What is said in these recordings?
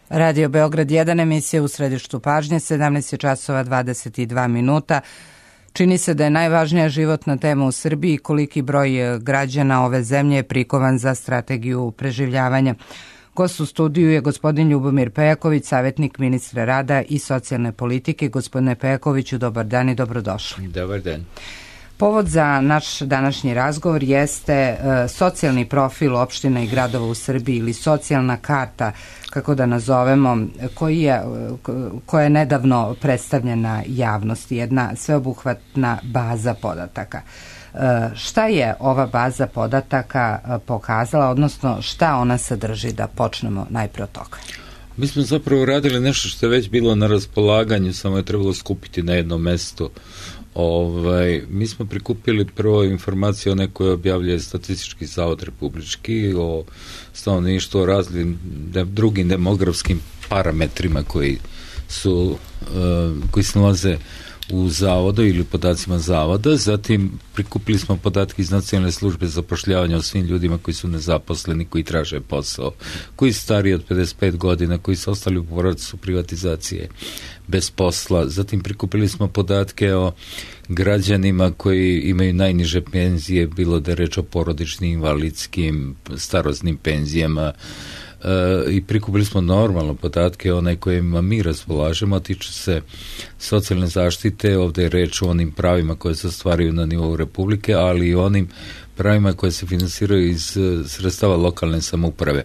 Radio Beograd 1, emisija u središtu pažnje, 17 časova 22 minuta. Čini se da je najvažnija životna tema u Srbiji koliki broj građana ove zemlje je prikovan za strategiju preživljavanja. Gost u studiju je gospodin Ljubomir Pejaković, savjetnik ministra rada i socijalne politike. Gospodine Pejakoviću, dobar dan i dobrodošli. Dobar dan. Povod za naš današnji razgovor jeste socijalni profil opština i gradova u Srbiji ili socijalna karta, kako da nazovemo, koja je nedavno predstavljena javnosti, jedna sveobuhvatna baza podataka. Šta je ova baza podataka pokazala, odnosno šta ona sadrži, da počnemo najpre od toga? Mi smo zapravo radili nešto što je već bilo na raspolaganju, samo je trebalo skupiti na jednom mestu. Mi smo prikupili prvo informacije o nekoj objavljuje Statistički zavod republički o stanovništvu, o raznim drugim demografskim parametrima koji se nalaze u zavodu ili podacima zavoda. Zatim prikupili smo podatke iz Nacionalne službe zapošljavanja o svim ljudima koji su nezaposleni, koji traže posao, koji su stariji od 55 godina, koji su ostali u procesu privatizacije bez posla. Zatim prikupili smo podatke o građanima koji imaju najniže penzije, bilo da je reč o porodičnim, invalidskim, starosnim penzijama, i prikupili smo normalno podatke one kojima mi raspolažemo, a tiču se socijalne zaštite. Ovdje je reč o onim pravima koje se ostvaruju na nivou Republike, ali i onim pravima koje se finansiraju iz sredstava lokalne samouprave.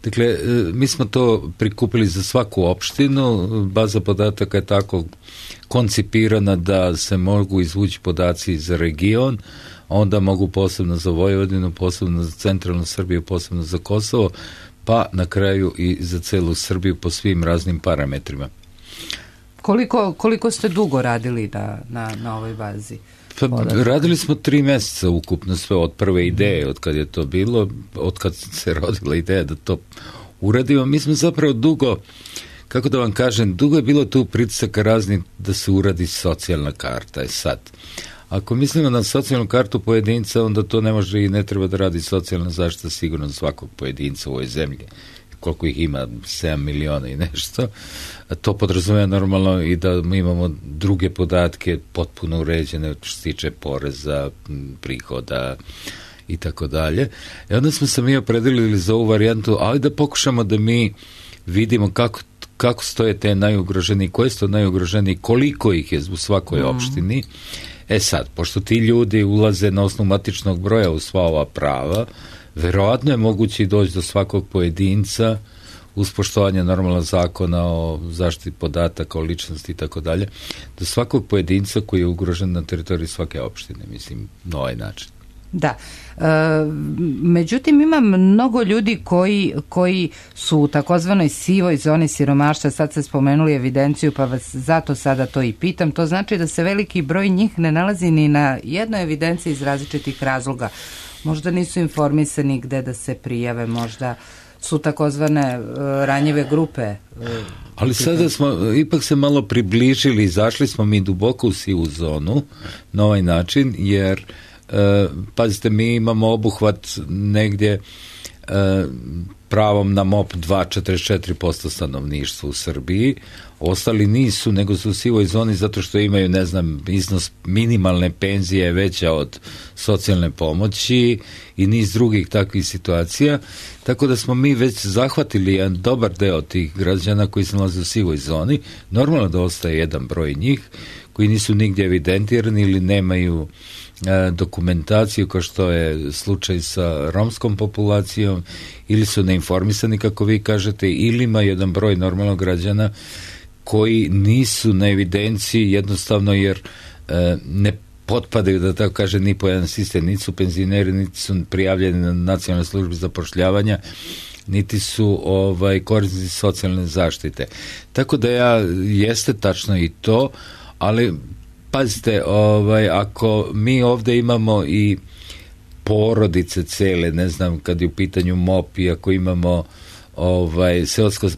Dakle, mi smo to prikupili za svaku opštinu. Baza podataka je tako koncipirana da se mogu izvući podaci za region, onda mogu posebno za Vojvodinu, posebno za centralnu Srbiju, posebno za Kosovo, pa na kraju i za celu Srbiju po svim raznim parametrima. Koliko ste dugo radili na ovoj bazi? Radili smo 3 mjeseca ukupno, sve od prve ideje, od kad je to bilo, od kad se rodila ideja da to uradimo. Mi smo zapravo dugo, kako da vam kažem, dugo je bilo tu pritisaka razni da se uradi socijalna karta. Sad, ako mislimo na socijalnu kartu pojedinca, onda to ne može i ne treba da radi socijalna zaštita sigurno za svakog pojedinca u ovoj zemlji. Koliko ih ima, 7 miliona i nešto. To podrazumeva normalno i da mi imamo druge podatke potpuno uređene što se tiče poreza, prihoda i tako dalje. I onda smo se mi opredelili za ovu varijantu, ali da pokušamo da mi vidimo kako stoje te najugroženiji, koje su to najugroženiji, koliko ih je u svakoj opštini. Sad, pošto ti ljudi ulaze na osnovu matičnog broja u sva ova prava, verovatno je moguće i doći do svakog pojedinca uz poštovanje normalnog zakona o zaštiti podataka, o ličnosti i tako dalje, do svakog pojedinca koji je ugrožen na teritoriji svake opštine, mislim, na ovaj način. Da. Međutim, ima mnogo ljudi koji su u takozvanoj sivoj zoni siromaštva. Sad ste spomenuli evidenciju, pa vas zato sada to i pitam. To znači da se veliki broj njih ne nalazi ni na jednoj evidenciji iz različitih razloga. Možda nisu informisani gde da se prijave, možda su takozvane ranjive grupe. Ali sada smo ipak se malo približili, zašli smo mi duboko u sivu zonu na ovaj način, jer pazite, mi imamo obuhvat negdje pravom na MOP 2,44% stanovništva u Srbiji. Ostali nisu, nego su u sivoj zoni zato što imaju, ne znam, iznos minimalne penzije veća od socijalne pomoći i niz drugih takvih situacija. Tako da smo mi već zahvatili jedan dobar deo tih građana koji se nalaze u sivoj zoni. Normalno da ostaje jedan broj njih koji nisu nigdje evidentirani ili nemaju dokumentaciju, kao što je slučaj sa romskom populacijom, ili su neinformisani, kako vi kažete, ili ima jedan broj normalnog građana koji nisu na evidenciji jednostavno jer ne potpadaju, da tako kaže, ni po jedan sistem, niti su penzioneri, niti su prijavljeni na Nacionalnoj službi zapošljavanja, niti su korisnici socijalne zaštite. Tako da jeste tačno i to, ali pazite, ako mi ovdje imamo i porodice cele, ne znam, kad je u pitanju MOP i ako imamo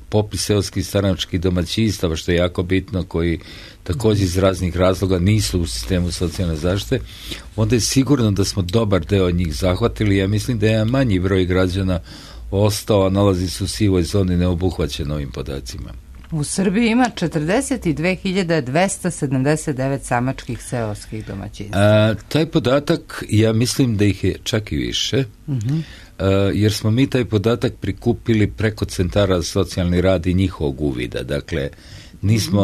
popis seoskih staračkih domaćinstava, što je jako bitno, koji također iz raznih razloga nisu u sistemu socijalne zaštite, onda je sigurno da smo dobar deo njih zahvatili. Ja mislim da je manji broj građana ostao, a nalazi se u sivoj zoni, neobuhvaćen ovim podacima. U Srbiji ima 42.279 samačkih seoskih domaćinstva. Taj podatak, ja mislim da ih je čak i više, jer smo mi taj podatak prikupili preko centara za socijalni rad i njihovog uvida. Dakle,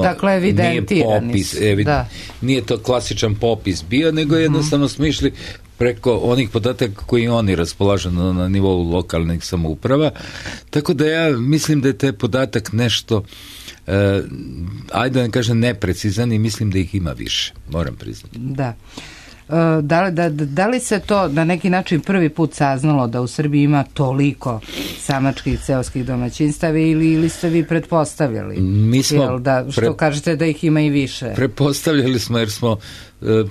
dakle, evidentirani. Nije to klasičan popis bio, nego jednostavno smo išli preko onih podataka koji oni raspolažu na nivou lokalnih samouprava. Tako da ja mislim da je taj podatak nešto, ajde da ne kažem neprecizan, i mislim da ih ima više, moram priznati. Da. Da li se to na neki način prvi put saznalo da u Srbiji ima toliko samačkih seoskih domaćinstava ili ste vi pretpostavljali? Mi smo što kažete da ih ima i više? Pretpostavljali smo, jer smo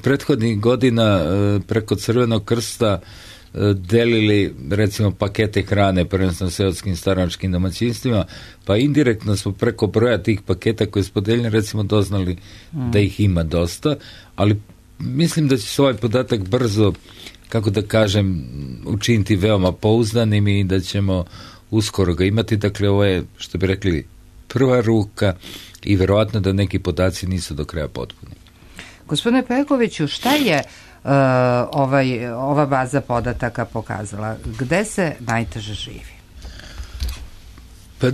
prethodnih godina preko Crvenog krsta delili, recimo, pakete hrane prvenstveno seoskim staračkim domaćinstvima, pa indirektno smo preko broja tih paketa koje smo delili, recimo, doznali da ih ima dosta, ali mislim da će se ovaj podatak brzo, kako da kažem, učiniti veoma pouzdanim i da ćemo uskoro ga imati. Dakle, ovo je, što bi rekli, prva ruka i verovatno da neki podaci nisu do kraja potpuni. Gospodine Pekoviću, šta je ova baza podataka pokazala? Gde se najteže živi? Pa,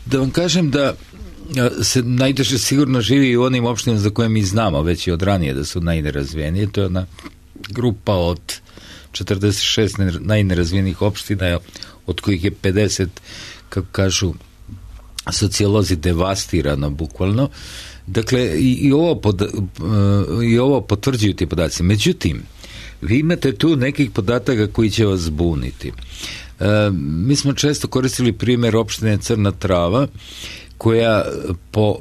da vam kažem da se najteže sigurno živi i u onim opštinama za koje mi znamo već i od ranije da su najnerazvijenije. To je ona grupa od 46 najnerazvijenijih opština, od kojih je 50, kako kažu sociolozi, devastirano bukvalno. Dakle, i ovo potvrđuju ti podaci. Međutim, vi imate tu nekih podataka koji će vas zbuniti. Mi smo često koristili primjer opštine Crna Trava, koja po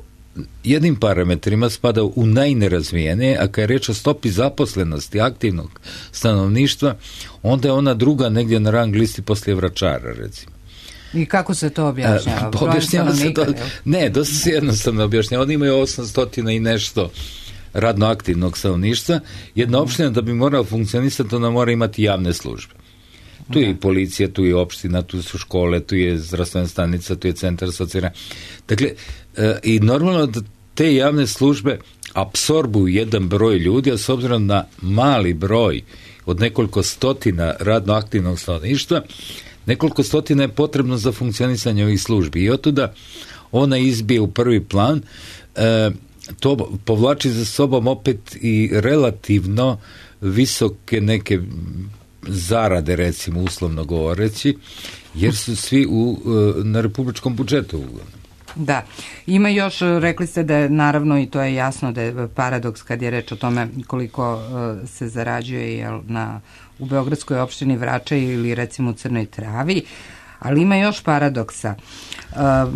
jednim parametrima spada u najnerazvijene, a kad je reč o stopi zaposlenosti aktivnog stanovništva, onda je ona druga negdje na rang listi poslije Vračara, recimo. I kako se to objašnjava? Objašnjava se to, ne, dosta se jednostavno objašnjava. Oni imaju 800 i nešto radno aktivnog stanovništva. Jedna opština da bi morala funkcionisati, ona mora imati javne službe. Tu je i policija, tu je opština, tu su škole, tu je zdravstvena stanica, tu je centar socijalne. Dakle, i normalno da te javne službe apsorbuju jedan broj ljudi, a s obzirom na mali broj od nekoliko stotina radno aktivnog stanovništva, nekoliko stotina je potrebno za funkcionisanje ovih službi. I otuda ona izbije u prvi plan. To povlači za sobom opet i relativno visoke neke zarade, recimo, uslovno govoreći, jer su svi na republičkom budžetu uglavnom. Da, ima još, rekli ste da je, naravno, i to je jasno da je paradoks kad je reč o tome koliko se zarađuje u Beogradskoj opštini Vračar ili recimo u Crnoj Travi, ali ima još paradoksa.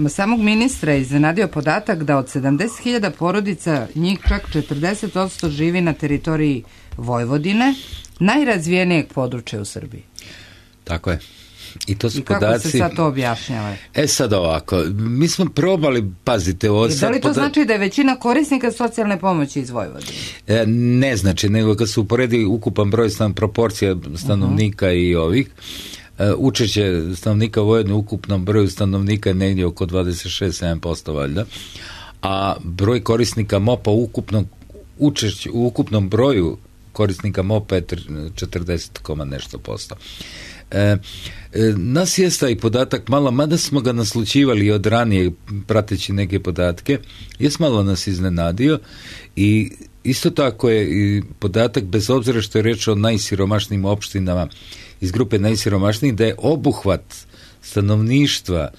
Samog ministra je iznenadio podatak da od 70.000 porodica njih čak 40% živi na teritoriji Vojvodine, najrazvijenijeg područja u Srbiji. Tako je. I to su kako podaci... se sad to objašnjava? Sad ovako, mi smo probali, pazite ovo... Da li to znači da je većina korisnika socijalne pomoći iz Vojvodine? Ne znači, nego kad se uporedi ukupan broj proporcija stanovnika i ovih, učešće stanovnika Vojvodine u ukupnom broju stanovnika je negdje oko 26-7% valjda, a broj korisnika MOP-a u ukupnom broju korisnika MOP-a je 40, nešto posto. Nas je taj podatak malo, mada smo ga naslućivali od ranije prateći neke podatke, malo nas iznenadio i isto tako je i podatak, bez obzira što je reč o najsiromašnijim opštinama iz grupe najsiromašnijih, da je obuhvat stanovništva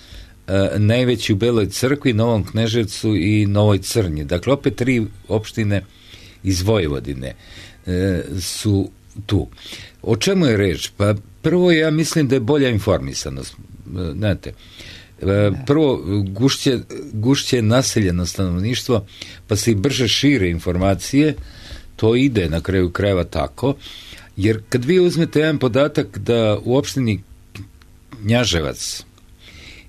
najveći u Beloj Crkvi, Novom Kneževcu i Novoj Crnji. Dakle, opet 3 opštine iz Vojvodine su tu. O čemu je reč? Pa prvo, ja mislim da je bolja informisanost. Znate, prvo, gušće je naseljeno stanovništvo, pa se i brže šire informacije, to ide na kraju krajeva tako, jer kad vi uzmete jedan podatak da u opštini Knjaževac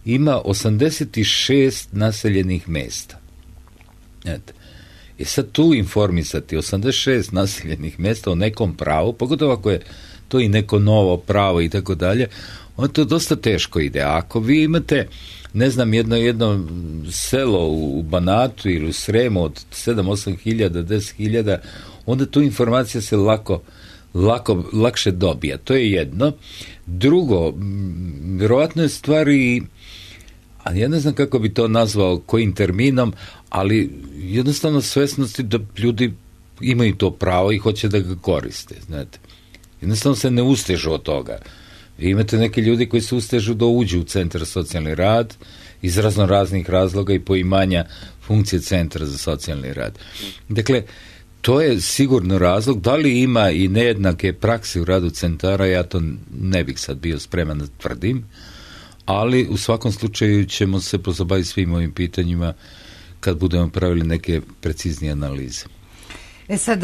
ima 86 naseljenih mesta. Znate, i sad tu informisati 86 naseljenih mjesta o nekom pravu, pogotovo ako je to i neko novo pravo i tako dalje, onda to dosta teško ide. A ako vi imate, ne znam, jedno selo u Banatu ili u Sremu od 7-8 hiljada, 10 hiljada, onda tu informacija se lakše dobija. To je jedno. Drugo, vjerovatno je stvari, a ja ne znam kako bi to nazvao, kojim terminom, ali jednostavno svesnosti da ljudi imaju to pravo i hoće da ga koriste, znate. Jednostavno se ne ustežu od toga. Vi imate neki ljudi koji se ustežu da uđu u centar socijalni rad iz raznih razloga i poimanja funkcije centra za socijalni rad. Dakle, to je sigurno razlog. Da li ima i nejednake prakse u radu centara, ja to ne bih sad bio spreman da tvrdim, ali u svakom slučaju ćemo se pozabaviti svim ovim pitanjima kad budemo pravili neke preciznije analize. Sad,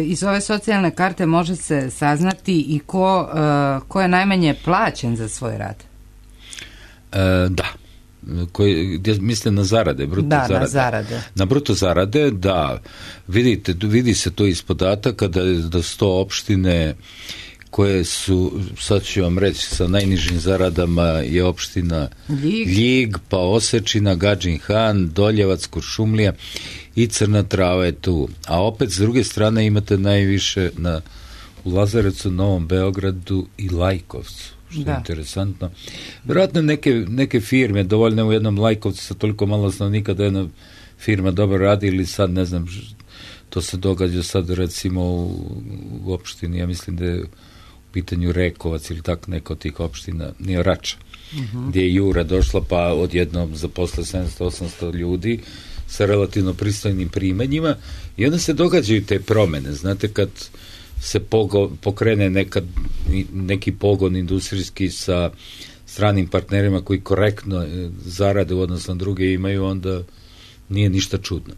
iz ove socijalne karte može se saznati i ko je najmanje plaćen za svoj rad? Da. Mislim na zarade, na zarade. Na bruto zarade, da. Vidi se to iz podataka da 100 opštine koje su, sad ću vam reći, sa najnižim zaradama je opština Ljig, pa Osečina, Gadžin Han, Doljevac, Kuršumlija i Crna Trava je tu. A opet, s druge strane, imate najviše u Lazarevcu, Novom Beogradu i Lajkovcu, što je interesantno. Vjerojatno neke firme, dovoljno u jednom Lajkovcu sa toliko malo stanovnika da jedna firma dobro radi, ili sad, ne znam, to se događa sad recimo u opštini, ja mislim da je u pitanju Rekovac ili tako neka od tih opština, nije Rača, gdje je Jura došla pa odjednom zaposle 700-800 ljudi sa relativno pristojnim primanjima i onda se događaju te promene. Znate, kad se pokrene neki pogon industrijski sa stranim partnerima koji korektno zarade u odnosu na druge imaju, onda nije ništa čudno.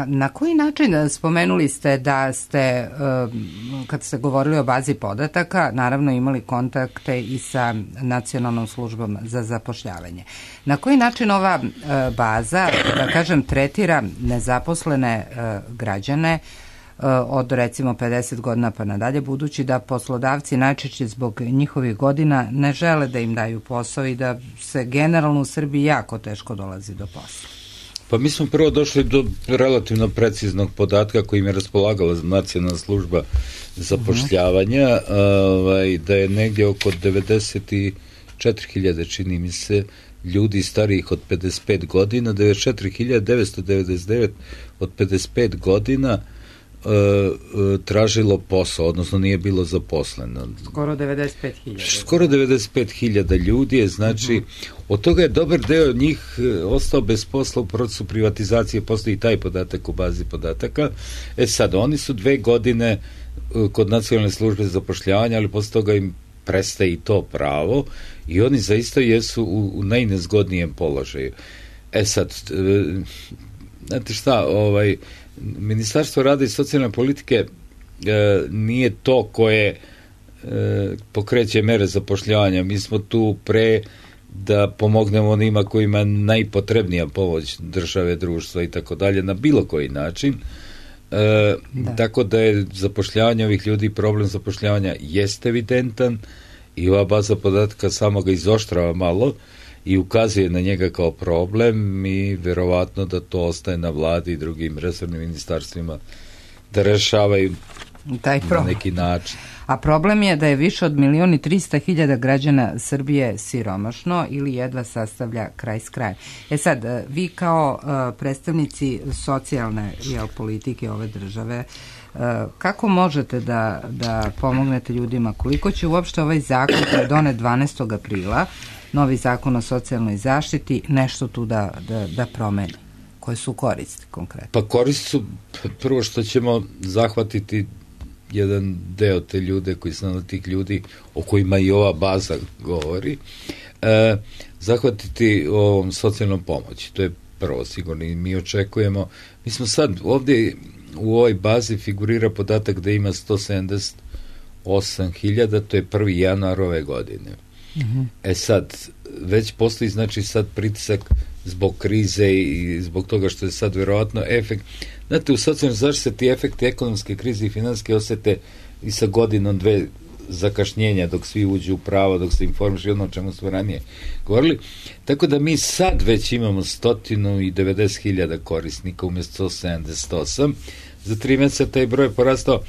Na koji način, spomenuli ste da ste, kad ste govorili o bazi podataka, naravno imali kontakte i sa Nacionalnom službom za zapošljavanje. Na koji način ova baza, da kažem, tretira nezaposlene građane od recimo 50 godina pa nadalje, budući da poslodavci najčešće zbog njihovih godina ne žele da im daju posao i da se generalno u Srbiji jako teško dolazi do posla? Pa mi smo prvo došli do relativno preciznog podatka kojim je raspolagala Nacionalna služba zapošljavanja, da je negdje oko 94.000, čini mi se, ljudi starijih od 55 godina, 94.999 od 55 godina tražilo posao, odnosno nije bilo zaposleno. Skoro 95.000. Skoro 95.000 ljudi je, znači, od toga je dobar deo njih ostao bez posla u procesu privatizacije, postoji taj podatak u bazi podataka. Sad, oni su 2 godine kod Nacionalne službe za zapošljavanje, ali posle toga im prestaje i to pravo i oni zaista jesu u najnezgodnijem položaju. Sad, znate šta, Ministarstvo rada i socijalne politike nije to koje pokreće mere zapošljavanja. Mi smo tu pre da pomognemo onima kojima najpotrebnija pomoć države, društva i tako dalje, na bilo koji način. Tako da je zapošljavanje ovih ljudi, problem zapošljavanja jest evidentan i ova baza podatka samo ga izoštrava malo i ukazuje na njega kao problem i vjerovatno da to ostaje na vladi i drugim resornim ministarstvima da rešavaju taj na neki način. A problem je da je više od 1.300.000 građana Srbije siromašno ili jedva sastavlja kraj s krajem. Sad, vi kao predstavnici socijalne politike ove države, kako možete da pomognete ljudima? Koliko će uopšte ovaj zakon koji je donet 12. aprila, novi zakon o socijalnoj zaštiti, nešto tu da promeni? Koje su koristi konkretno? Pa koristi su prvo što ćemo zahvatiti jedan deo te ljude koji su tih ljudi o kojima i ova baza govori, zahvatiti ovom socijalnom pomoći. To je prvo sigurno i mi očekujemo. Mi smo sad ovdje u ovoj bazi figurira podatak da ima 178.000, to je 1. januar ove godine. Sad, već postoji znači sad pritisak zbog krize i zbog toga što je sad vjerovatno efekt. Znate, u socijalnoj zaštiti ti efekti ekonomske krize i financijske osjete i sa godinom, 2 zakašnjenja dok svi uđu u pravo, dok se informiš ono o čemu smo ranije govorili. Tako da mi sad već imamo 190.000 korisnika umjesto 178. Za 3 mjeseca taj broj je porastao.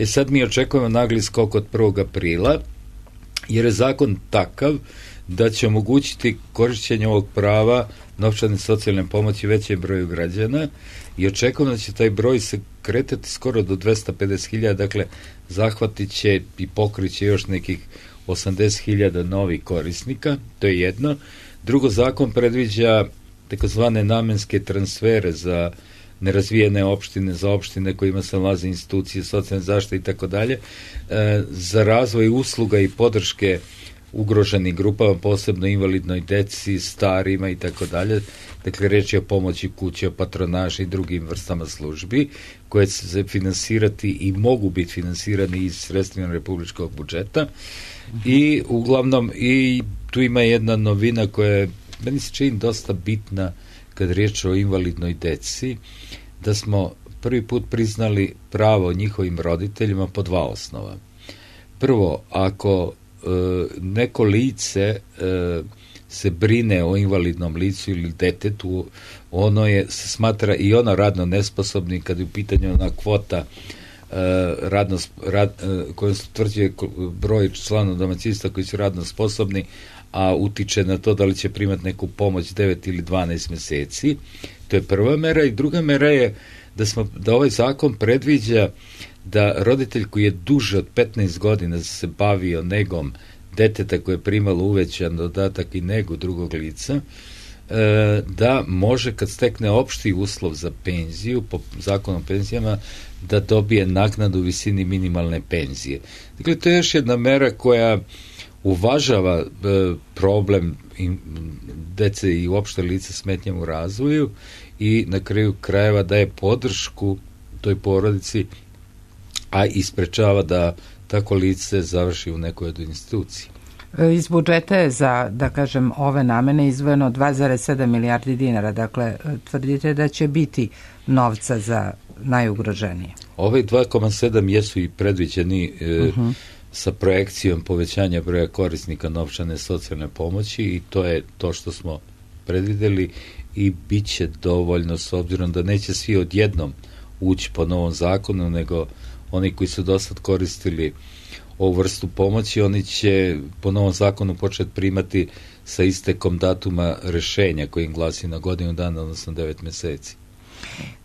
Sad mi očekujemo nagli skok od 1. aprila, jer je zakon takav da će omogućiti korišćenje ovog prava novčane socijalne pomoći većem broju građana i očekujemo da će taj broj se kretati skoro do 250.000, dakle zahvatit će i pokrit će još nekih 80.000 novih korisnika, to je jedno. Drugo, zakon predviđa takozvane namenske transfere za nerazvijene opštine, za opštine kojima se nalaze institucije socijalne zaštite i tako dalje, za razvoj usluga i podrške ugroženim grupama, posebno invalidnoj deci, starima i tako dalje. Dakle, reč je o pomoći kuće, o patronaži i drugim vrstama službi koje će se finansirati i mogu biti finansirani iz sredstvima republičkog budžeta. I uglavnom, i tu ima jedna novina koja je, meni se čini, dosta bitna kad riječ o invalidnoj deci, da smo prvi put priznali pravo njihovim roditeljima po 2 osnova. Prvo, ako neko lice se brine o invalidnom licu ili detetu, ono je, se smatra i ono radno nesposobnim kad je u pitanju ona kvota kojom se utvrđuje broj članova domaćinstva koji su radno sposobni, a utiče na to da li će primati neku pomoć 9 ili 12 mjeseci. To je prva mera. I druga mera je da ovaj zakon predviđa da roditelj koji je duže od 15 godina se bavio negom deteta koje je primalo uvećan dodatak i negu drugog lica, da može, kad stekne opšti uslov za penziju, po zakonu o penzijama, da dobije naknadu u visini minimalne penzije. Dakle, to je još jedna mera koja uvažava problem dece i uopšte lica smetnjama u razvoju i na kraju krajeva daje podršku toj porodici, a isprečava da tako lice završi u nekoj od institucija. Iz budžeta je za, da kažem, ove namene izdvojeno 2,7 milijardi dinara. Dakle, tvrdite da će biti novca za najugroženije. Ove 2,7 jesu i predviđeni sa projekcijom povećanja broja korisnika novčane socijalne pomoći i to je to što smo predvideli i bit će dovoljno, s obzirom da neće svi odjednom ući po novom zakonu, nego oni koji su dosad koristili ovu vrstu pomoći, oni će po novom zakonu početi primati sa istekom datuma rešenja koji im glasi na godinu dana, odnosno 9 mjeseci.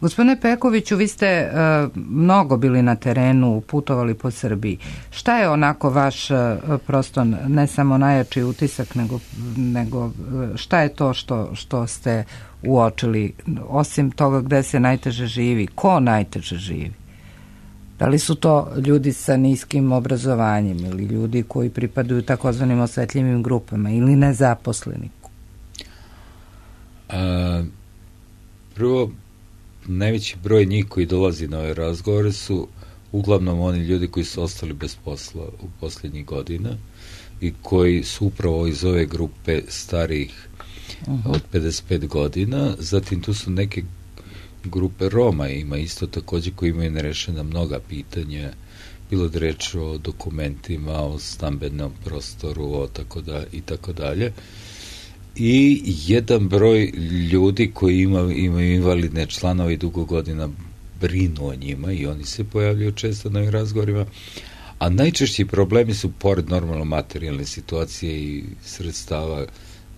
Gospodine Pekoviću, vi ste mnogo bili na terenu, putovali po Srbiji. Šta je onako vaš prosto ne samo najjači utisak, nego šta je to što ste uočili, osim toga gde se najteže živi? Ko najteže živi? Da li su to ljudi sa niskim obrazovanjem ili ljudi koji pripadaju takozvanim osetljivim grupama ili nezaposleni? Prvo, najveći broj njih koji dolazi na ove razgovore su uglavnom oni ljudi koji su ostali bez posla u posljednjih godina i koji su upravo iz ove grupe starijih od 55 godina. Zatim tu su neke grupe Roma, ima isto također koji imaju nerešena mnoga pitanja, bilo da reč o dokumentima, o stambenom prostoru, i tako dalje. I jedan broj ljudi koji imaju invalidne članove i dugo godina brinu o njima i oni se pojavljaju često na ovim razgovorima, a najčešći problemi su, pored normalno materijalne situacije i sredstava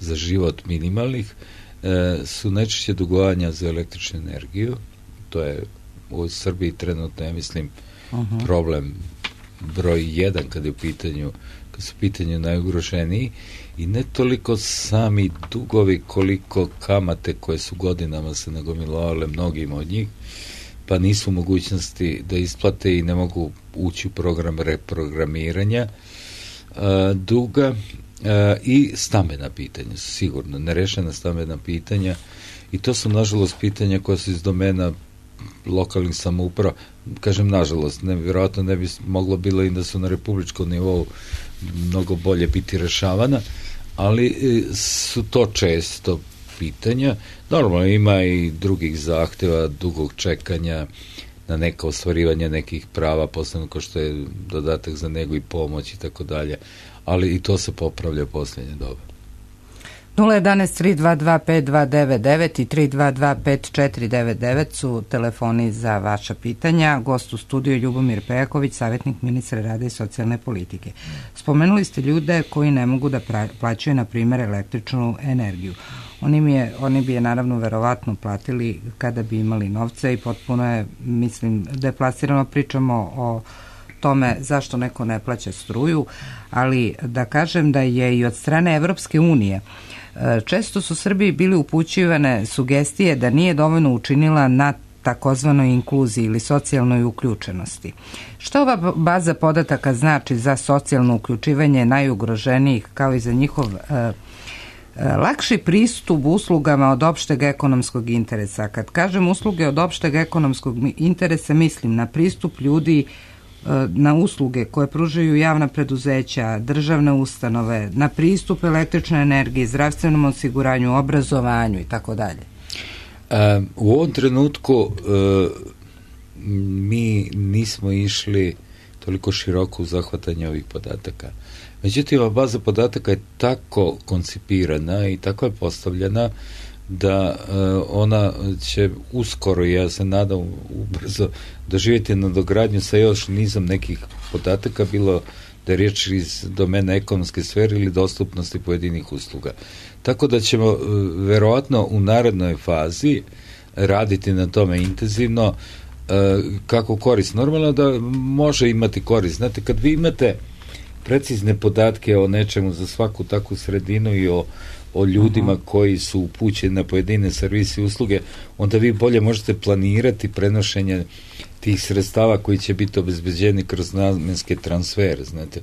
za život minimalnih, su najčešće dugovanja za električnu energiju. To je u Srbiji trenutno, ja mislim, problem broj 1 kad su u pitanju najugroženiji, i ne toliko sami dugovi koliko kamate koje su godinama se nagomilovale mnogima od njih, pa nisu u mogućnosti da isplate i ne mogu ući u program reprogramiranja duga. I stambena pitanja su sigurno nerešena stambena pitanja i to su nažalost pitanja koja su iz domena lokalnih samouprava. Kažem nažalost, vjerojatno ne bi moglo bilo i da su na republičkom nivou mnogo bolje biti rešavana, ali su to često pitanja. Normalno ima i drugih zahteva, dugog čekanja, na neka ostvarivanje nekih prava, posebno kao što je dodatak za negu i pomoć i tako dalje, ali i to se popravlja u posljednje doba. 011-322-5299 i 322-5499 su telefoni za vaša pitanja. Gost u studiju Ljubomir Pejaković, savjetnik ministra rada i socijalne politike. Spomenuli ste ljude koji ne mogu da plaćaju, na primjer, električnu energiju. Oni bi je naravno verovatno platili kada bi imali novce i potpuno je, mislim, deplasirano pričamo o tome zašto neko ne plaća struju, ali da kažem da je i od strane Evropske unije često su Srbiji bili upućivane sugestije da nije dovoljno učinila na takozvanoj inkluziji ili socijalnoj uključenosti. Što ova baza podataka znači za socijalno uključivanje najugroženijih kao i za njihov lakši pristup uslugama od opšteg ekonomskog interesa? Kad kažem usluge od opšteg ekonomskog interesa, mislim na pristup ljudi na usluge koje pružaju javna preduzeća, državne ustanove, na pristup električnoj energiji, zdravstvenom osiguranju, obrazovanju i tako dalje. U ovom trenutku mi nismo išli toliko široko u zahvatanje ovih podataka. Međutim, ova baza podataka je tako koncipirana i tako je postavljena da ona će uskoro, ja se nadam ubrzo, doživjeti nadogradnju sa još nizom nekih podataka, bilo da je riječ iz domena ekonomske sfere ili dostupnosti pojedinih usluga. Tako da ćemo verovatno u narednoj fazi raditi na tome intenzivno. Kako korist? Normalno da može imati korist. Znate, kad vi imate precizne podatke o nečemu za svaku takvu sredinu i o ljudima koji su upućeni na pojedine servise i usluge, onda vi bolje možete planirati prenošenje tih sredstava koji će biti obezbeđeni kroz namenske transfere, znate.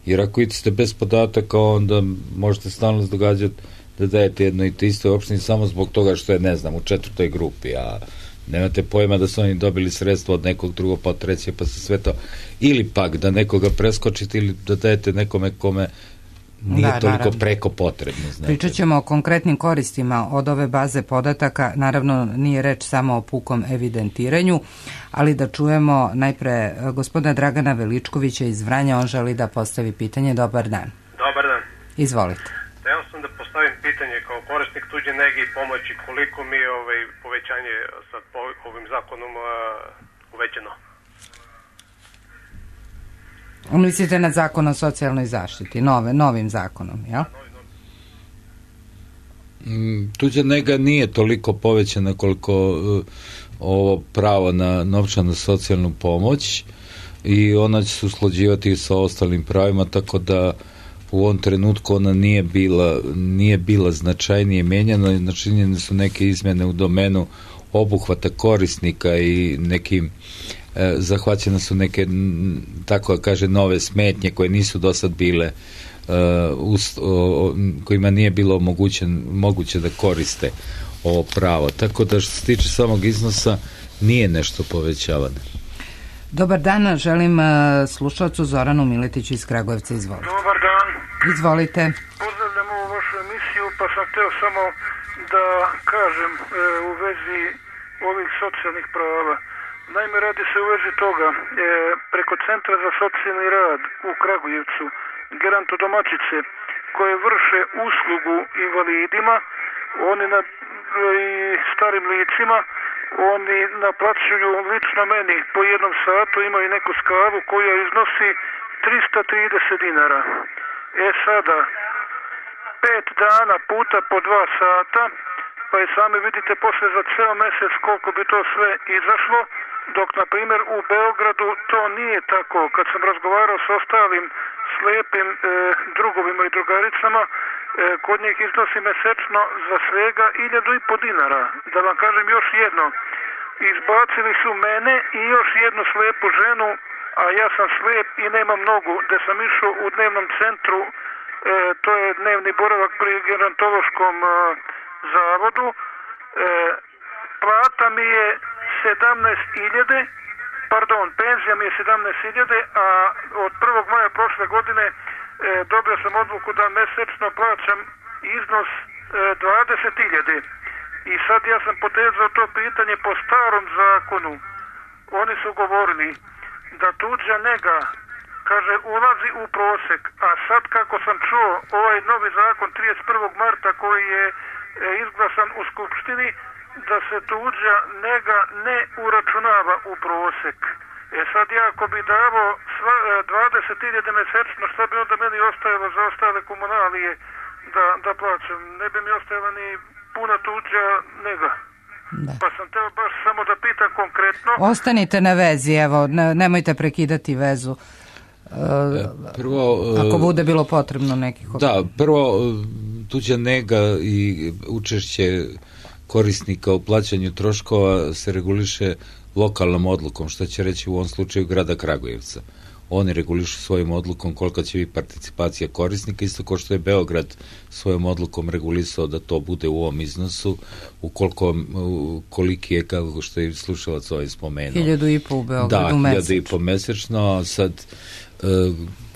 Jer ako idete bez podataka, onda možete stalno događati da dajete jedno i te isto opštini samo zbog toga što je, ne znam, u 4. grupi, a nemate pojma da su oni dobili sredstva od nekog drugog, pa od trećeg, pa se sve to, ili pak da nekoga preskočite ili da dajete nekome kome nije toliko preko potrebno. Pričat ćemo o konkretnim koristima od ove baze podataka. Naravno, nije reč samo o pukom evidentiranju, ali da čujemo najpre gospodina Dragana Veličkovića iz Vranja. On želi da postavi pitanje. Dobar dan. Dobar dan. Izvolite. Hteo sam da postavim pitanje kao korisnik tuđe nege i pomoći, koliko mi je povećanje sa ovim zakonom uvećano? Mislite na zakon o socijalnoj zaštiti, novim zakonom, jel? Tuđa nega nije toliko povećana koliko ovo pravo na novčanu socijalnu pomoć i ona će se usklađivati sa ostalim pravima, tako da u ovom trenutku ona nije bila značajnije menjana, načinjene su neke izmjene u domenu obuhvata korisnika i nekim zahvaćene su neke, tako da kaže, nove smetnje koje nisu do sad bile, kojima nije bilo moguće da koriste ovo pravo. Tako da što se tiče samog iznosa nije nešto povećavano. Dobar dan, želim slušalcu Zoranu Miletiću iz Kragujevca. Izvolite. Dobar dan. Izvolite. Pozdravljam ovu vašu emisiju, pa sam hteo samo da kažem u vezi ovih socijalnih prava. Naime, radi se u vezi toga, preko Centra za socijalni rad u Kragujevcu, gerontodomaćice koje vrše uslugu invalidima, oni i starim licima, oni naplaćuju lično meni po jednom satu, imaju neku skalu koja iznosi 330 dinara. Sada, 5 dana puta po 2 sata, pa i sami vidite posle za ceo mesec koliko bi to sve izašlo, dok na primjer u Beogradu to nije tako. Kad sam razgovarao s ostalim slepim drugovima i drugaricama, kod njih iznosi mesečno za svega 1.500 dinara. Da vam kažem još jedno, izbacili su mene i još jednu slepu ženu, a ja sam slep i nemam nogu, da sam išao u dnevnom centru, to je dnevni boravak pri gerontološkom zavodu, plata mi je 17.000, penzija mi je 17.000, a od 1. maja prošle godine dobio sam odluku da mesečno plaćam iznos 20.000. I sad ja sam potezao to pitanje po starom zakonu oni su govorili da tuđa nega, kaže, ulazi u prosek, a sad kako sam čuo ovaj novi zakon 31. marta koji je izglasan u Skupštini, da se tuđa nega ne uračunava u prosek. Sad ja ako bi davo 20.000 mesečno, šta bi onda meni ostajalo za ostale komunalije da plaćam? Ne bi mi ostajala ni puna tuđa nega. Da. Pa sam teo baš samo da pitam konkretno. Ostanite na vezi, evo, nemojte prekidati vezu. Prvo, ako bude bilo potrebno nekih... Da, prvo, tuđa nega i učešće korisnika u plaćanju troškova se reguliše lokalnom odlukom, što će reći u ovom slučaju grada Kragujevca. Oni regulišu svojim odlukom koliko će biti participacija korisnika, isto kao što je Beograd svojom odlukom regulisao da to bude u ovom iznosu, koliki je, kako što je slušalac ovaj spomenuo. 1.500 u Beogradu mesečno. Da, 1.500 mesečno, sad...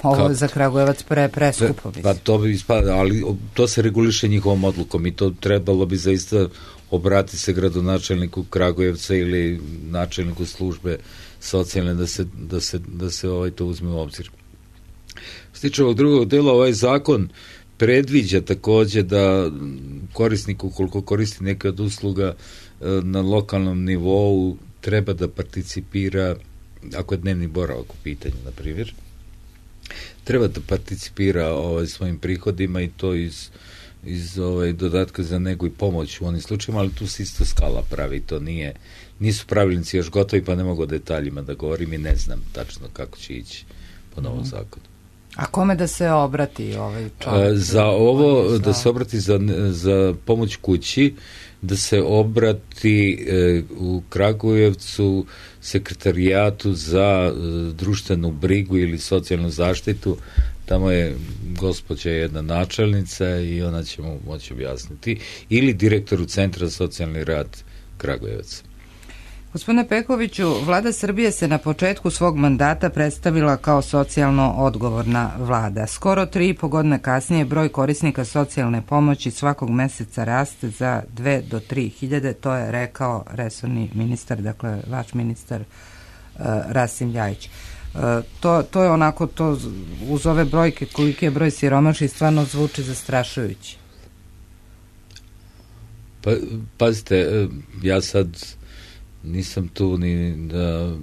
Ovo je za Kragujevac preskupo. Pa to bi ispada, ali to se reguliše njihovom odlukom i to trebalo bi zaista obratiti se gradonačelniku Kragujevca ili načelniku službe socijalne da se to uzme u obzir. Što se tiče ovog drugog dela, ovaj zakon predviđa takođe da korisnik, ukoliko koristi neke od usluga na lokalnom nivou, treba da participira, ako je dnevni boravak u pitanju, na primjer, treba da participira svojim prihodima i to iz dodatka za negu i pomoć u onim slučajima, ali tu se isto skala pravi, to nisu pravilnici još gotovi, pa ne mogu o detaljima da govorim i ne znam tačno kako će ići po novom zakonu. A kome da se obrati ovaj čovjek? Za ovo, da se obrati za pomoć kući, da se obrati u Kragujevcu sekretarijatu za društvenu brigu ili socijalnu zaštitu. Tamo je gospođa jedna načelnica i ona će mu moći objasniti. Ili direktoru Centra za socijalni rad Kragujevac. Gospodine Pekoviću, Vlada Srbije se na početku svog mandata predstavila kao socijalno odgovorna vlada. Skoro 3,5 godine kasnije broj korisnika socijalne pomoći svakog meseca raste za 2 do 3 hiljade, to je rekao resorni ministar, dakle vaš ministar Rasim Ljajić. To je onako, to uz ove brojke, koliki je broj siromašnih, stvarno zvuči zastrašujući. Pa, pazite, ja sad nisam tu ni da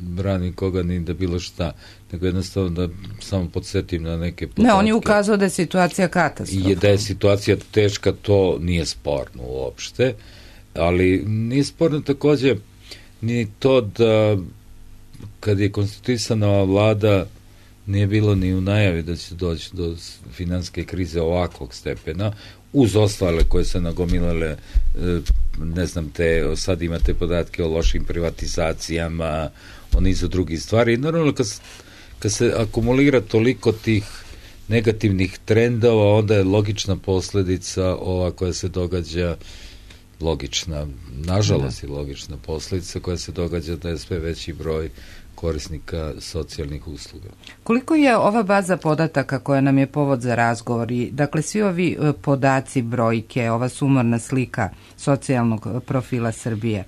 branim koga, ni da bilo šta, nego jednostavno da samo podsjetim na neke podatke. Ne, on je ukazao da je situacija katastrofalna. Da je situacija teška, to nije sporno uopšte, ali nije sporno takođe ni to da kad je konstituisana vlada nije bilo ni u najavi da će doći do finansijske krize ovakvog stepena, uz ostale koje se nagomilale, ne znam, sad imate podatke o lošim privatizacijama, o nizu drugih stvari. I naravno, kad se akumulira toliko tih negativnih trendova, onda je logična posledica ova koja se događa, logična, nažalost je logična posledica koja se događa da je sve veći broj korisnika socijalnih usluga. Koliko je ova baza podataka koja nam je povod za razgovor i dakle svi ovi podaci, brojke, ova sumorna slika socijalnog profila Srbije,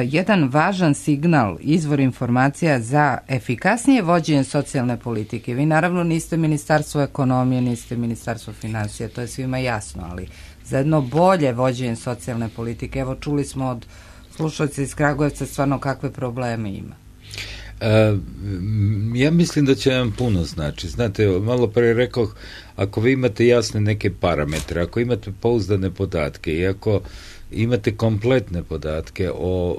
jedan važan signal, izvor informacija za efikasnije vođenje socijalne politike? Vi naravno niste Ministarstvo ekonomije, niste Ministarstvo finansija, to je svima jasno, ali za jedno bolje vođenje socijalne politike, evo čuli smo od slušalca iz Kragujevca stvarno kakve probleme ima. Ja mislim da će vam puno znači. Znate, malo pre rekao, ako vi imate jasne neke parametre, ako imate pouzdane podatke i ako imate kompletne podatke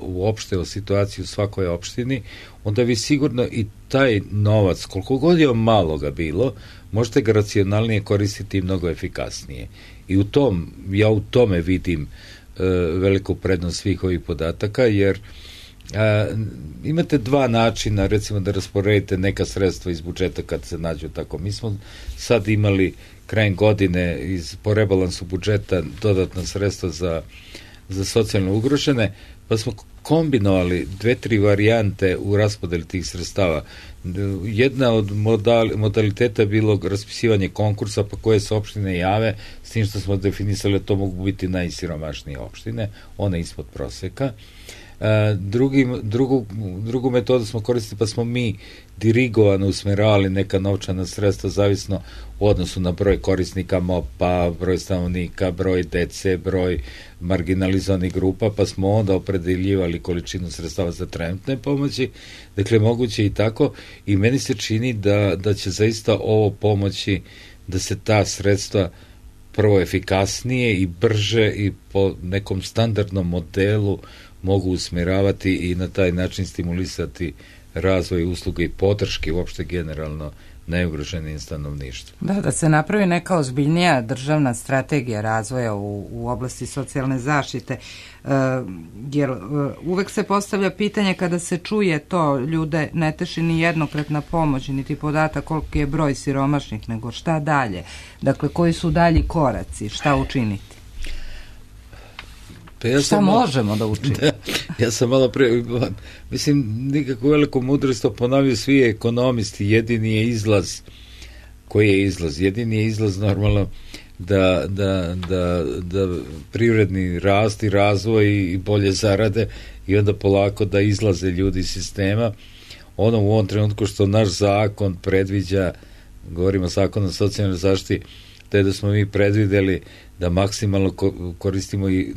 uopšte o situaciji u svakoj opštini, onda vi sigurno i taj novac, koliko god je malo ga bilo, možete ga racionalnije koristiti i mnogo efikasnije. I ja u tome vidim veliku prednost svih ovih podataka, jer imate dva načina, recimo da rasporedite neka sredstva iz budžeta kad se nađu tako. Mi smo sad imali krajem godine po rebalansu budžeta dodatna sredstva za socijalno ugrožene, pa smo kombinovali 2-3 varijante u raspodeli tih sredstava. Jedna od modaliteta je bilo raspisivanje konkursa pa koje se opštine jave, s tim što smo definisali da to mogu biti najsiromašnije opštine, one ispod proseka. Drugu metodu smo koristili, pa smo mi dirigovano usmjeravali neka novčana sredstva zavisno u odnosu na broj korisnika MOP-a, broj stanovnika, broj dece, broj marginalizovanih grupa, pa smo onda opredeljivali količinu sredstava za trenutne pomoći. Dakle, moguće i tako, i meni se čini da će zaista ovo pomoći da se ta sredstva prvo efikasnije i brže i po nekom standardnom modelu mogu usmjeravati i na taj način stimulisati razvoj usluge i podrške uopšte generalno najugroženijim stanovništvu. Da se napravi neka ozbiljnija državna strategija razvoja u oblasti socijalne zaštite, jer uvek se postavlja pitanje kada se čuje to, ljude ne teši ni jednokratna pomoć, niti podatak koliki je broj siromašnih, nego šta dalje. Dakle, koji su dalji koraci, šta učiniti? Šta možemo da učinimo? Ja sam malo pre, mislim, nikakvu veliku mudrost ponavljaju svi ekonomisti, jedini je izlaz. Koji je izlaz? Jedini je izlaz normalno da privredni rast i razvoj i bolje zarade i onda polako da izlaze ljudi iz sistema. Ono u ovom trenutku što naš zakon predviđa, govorimo o zakonu o socijalnoj zaštiti, to je da smo mi predvideli da maksimalno koristimo i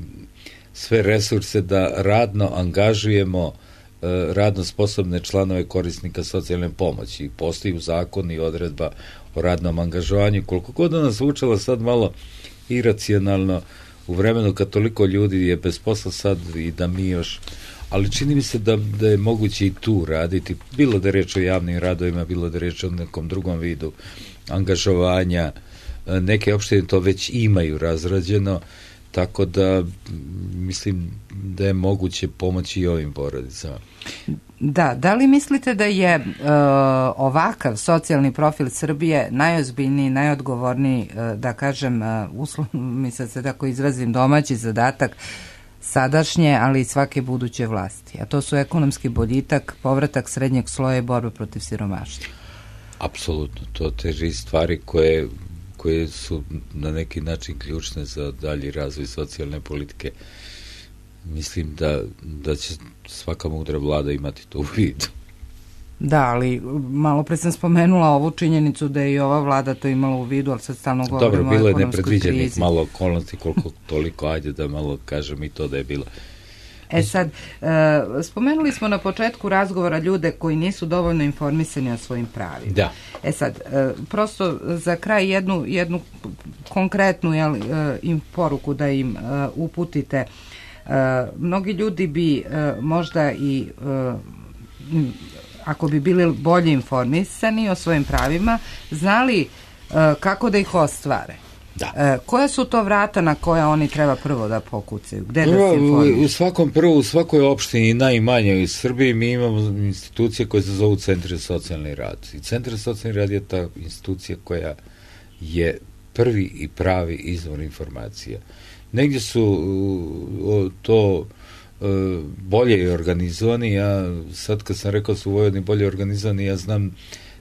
sve resurse da radno angažujemo radno sposobne članove korisnika socijalne pomoći. I postoji u zakonu i odredba o radnom angažovanju. Koliko god da nas zvučalo sad malo iracionalno u vremenu kad toliko ljudi je bez posla sad i da mi još, ali čini mi se da je moguće i tu raditi, bilo da je reč o javnim radovima, bilo da je reč o nekom drugom vidu angažovanja. Neke opštine to već imaju razrađeno, tako da mislim da je moguće pomoći i ovim porodicama. Da li mislite da je ovakav socijalni profil Srbije najozbiljniji, najodgovorniji, da kažem, mi sad se tako izrazim, domaći zadatak sadašnje, ali i svake buduće vlasti? A to su ekonomski boljitak, povratak srednjeg sloja i borba protiv siromaštva. Apsolutno, to teži stvari koje su na neki način ključne za dalji razvoj socijalne politike. Mislim da će svaka mudra vlada imati to u vidu. Da, ali malo pre sam spomenula ovu činjenicu da je i ova vlada to imala u vidu, ali sad stalno govorimo o ekonomskoj krizi. Dobro, bilo je nepredviđenih malo okolnosti, koliko toliko, ajde da malo kažem i to da je bilo. Sad, spomenuli smo na početku razgovora ljude koji nisu dovoljno informisani o svojim pravima. Da. Sad, prosto za kraj jednu konkretnu im poruku da im uputite. Mnogi ljudi bi možda i ako bi bili bolje informisani o svojim pravima, znali kako da ih ostvare. Da. Koja su to vrata na koja oni treba prvo da pokucaju? Gde da se informišu? U svakoj opštini, najmanje u Srbiji, mi imamo institucije koje se zovu Centri za socijalni rad. I Centar za socijalni rad je ta institucija koja je prvi i pravi izvor informacija. Negdje su to bolje organizovani. Ja sad kad sam rekao su u Vojvodini bolje organizovani, ja znam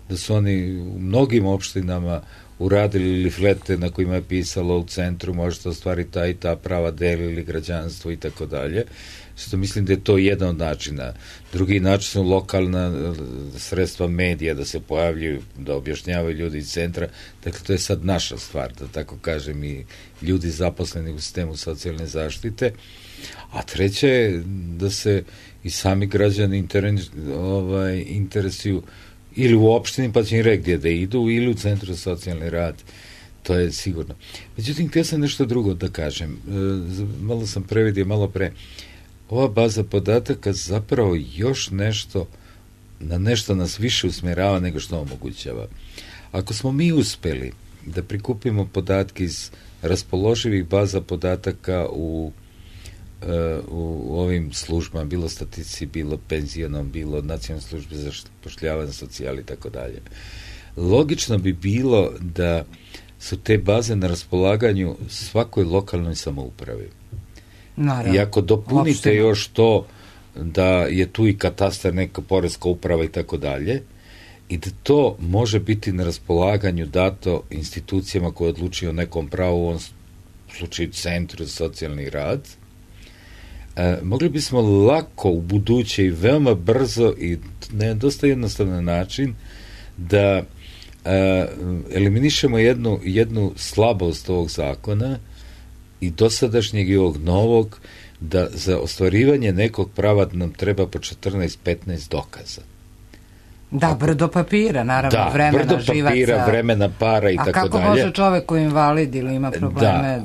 da su oni u mnogim opštinama uradili liflete na kojima je pisalo u centru možete ostvariti ta i ta prava, delili građanstvo i tako dalje. Što mislim da je to jedan od načina. Drugi način su lokalna sredstva medija da se pojavljuju, da objašnjavaju ljudi iz centra. Dakle, to je sad naša stvar, da tako kažem, i ljudi zaposleni u sistemu socijalne zaštite. A treće je da se i sami građani interesuju ili u opštini, pa će im reći gdje da idu, ili u Centru za socijalni rad. To je sigurno. Međutim, htio sam nešto drugo da kažem. Malo sam previdio, malo pre. Ova baza podataka zapravo još nešto, na nešto nas više usmjerava nego što omogućava. Ako smo mi uspeli da prikupimo podatke iz raspoloživih baza podataka u ovim službama, bilo statistici, bilo penzionom, bilo nacionalnoj službi za zapošljavanje, socijali i tako dalje. Logično bi bilo da su te baze na raspolaganju svakoj lokalnoj samoupravi. I ako dopunite još to da je tu i katastar, neka poreska uprava i tako dalje, i da to može biti na raspolaganju dato institucijama koje odlučuju o nekom pravu, u ovom slučaju Centru za socijalni rad, mogli bismo lako u buduće i veoma brzo i na dosta jednostavan način da eliminišemo jednu slabost ovog zakona i dosadašnjeg i ovog novog, da za ostvarivanje nekog prava nam treba po 14-15 dokaza. Da, brdo papira, naravno, vremena, brdo papira, živaca, vremena, para i tako dalje. A kako može čovek koji je invalid ili ima probleme?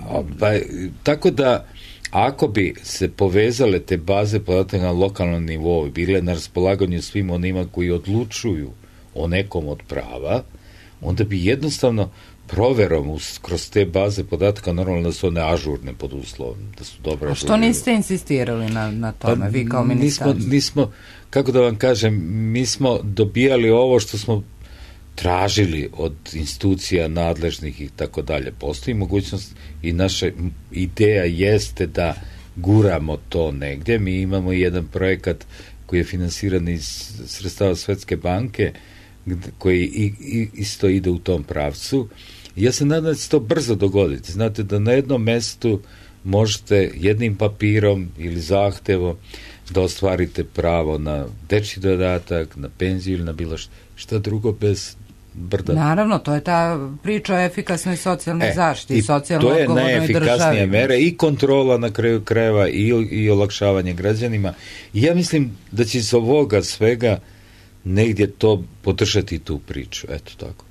Tako da, ako bi se povezale te baze podataka na lokalnom nivou i bile na raspolaganju svim onima koji odlučuju o nekom od prava, onda bi jednostavno proverom kroz te baze podataka, normalno da su one ažurne pod uslovom, da su dobro ažurne. A što niste insistirali na tome, vi kao ministarstvo? Nismo, kako da vam kažem, mi smo dobijali ovo što smo tražili od institucija nadležnih i tako dalje. Postoji mogućnost i naša ideja jeste da guramo to negdje. Mi imamo jedan projekat koji je finansiran iz sredstava Svetske banke, koji isto ide u tom pravcu. Ja se nadam da će to brzo dogoditi. Znate da na jednom mestu možete jednim papirom ili zahtevom da ostvarite pravo na dečji dodatak, na penziju ili na bilo šta drugo bez brda. Naravno, to je ta priča o efikasnoj socijalnoj zaštiti i socijalno odgovornoj državi. To je najefikasnija mera i kontrola na kraju krajeva i olakšavanje građanima. I ja mislim da će iz ovoga svega negdje to podržati tu priču. Eto tako.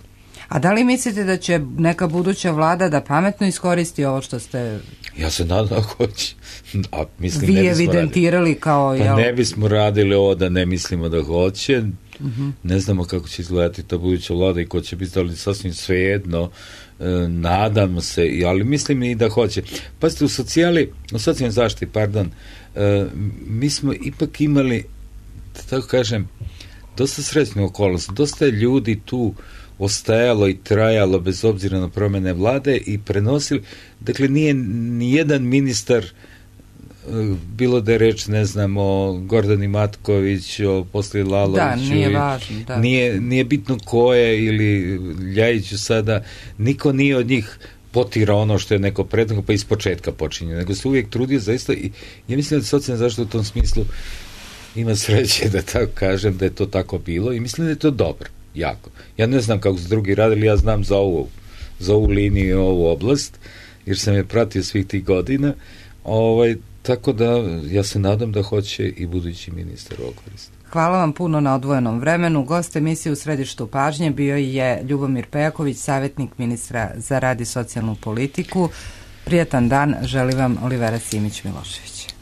A da li mislite da će neka buduća vlada da pametno iskoristi ovo što ste... Ja se nadam da hoće. A mislim, vi evidentirali kao... Pa ne bismo radili ovo da ne mislimo da hoće. Ne znamo kako će izgledati ta buduća vlada i ko će biti, ali sasvim svejedno. Nadamo se, ali mislim i da hoće. Pazite, u socijalnoj zaštiti, mi smo ipak imali, da tako kažem, dosta srećnu okolnost. Dosta je ljudi tu ostajalo i trajalo bez obzira na promjene vlade i prenosili, dakle nije ni jedan ministar, bilo da je reč, ne znam, o Gordani Matković, o poslije Laloviću, da, nije važno, da. Nije bitno ko je, ili Ljajiću sada, niko nije od njih potira ono što je neko prethodno pa iz početka počinje, nego se uvijek trudio zaista i ja mislim da socijalna zaštita u tom smislu ima sreće, da tako kažem, da je to tako bilo i mislim da je to dobro. Jako. Ja ne znam kako su drugi radili, ja znam za ovu liniju i ovu oblast, jer sam je pratio svih tih godina, tako da ja se nadam da hoće i budući ministar ovo koristiti. Hvala vam puno na odvojenom vremenu. Gost emisije U središtu pažnje bio je Ljubomir Pejaković, savjetnik ministra za rad i socijalnu politiku. Prijatan dan, želim vam Olivera Simić-Milošević.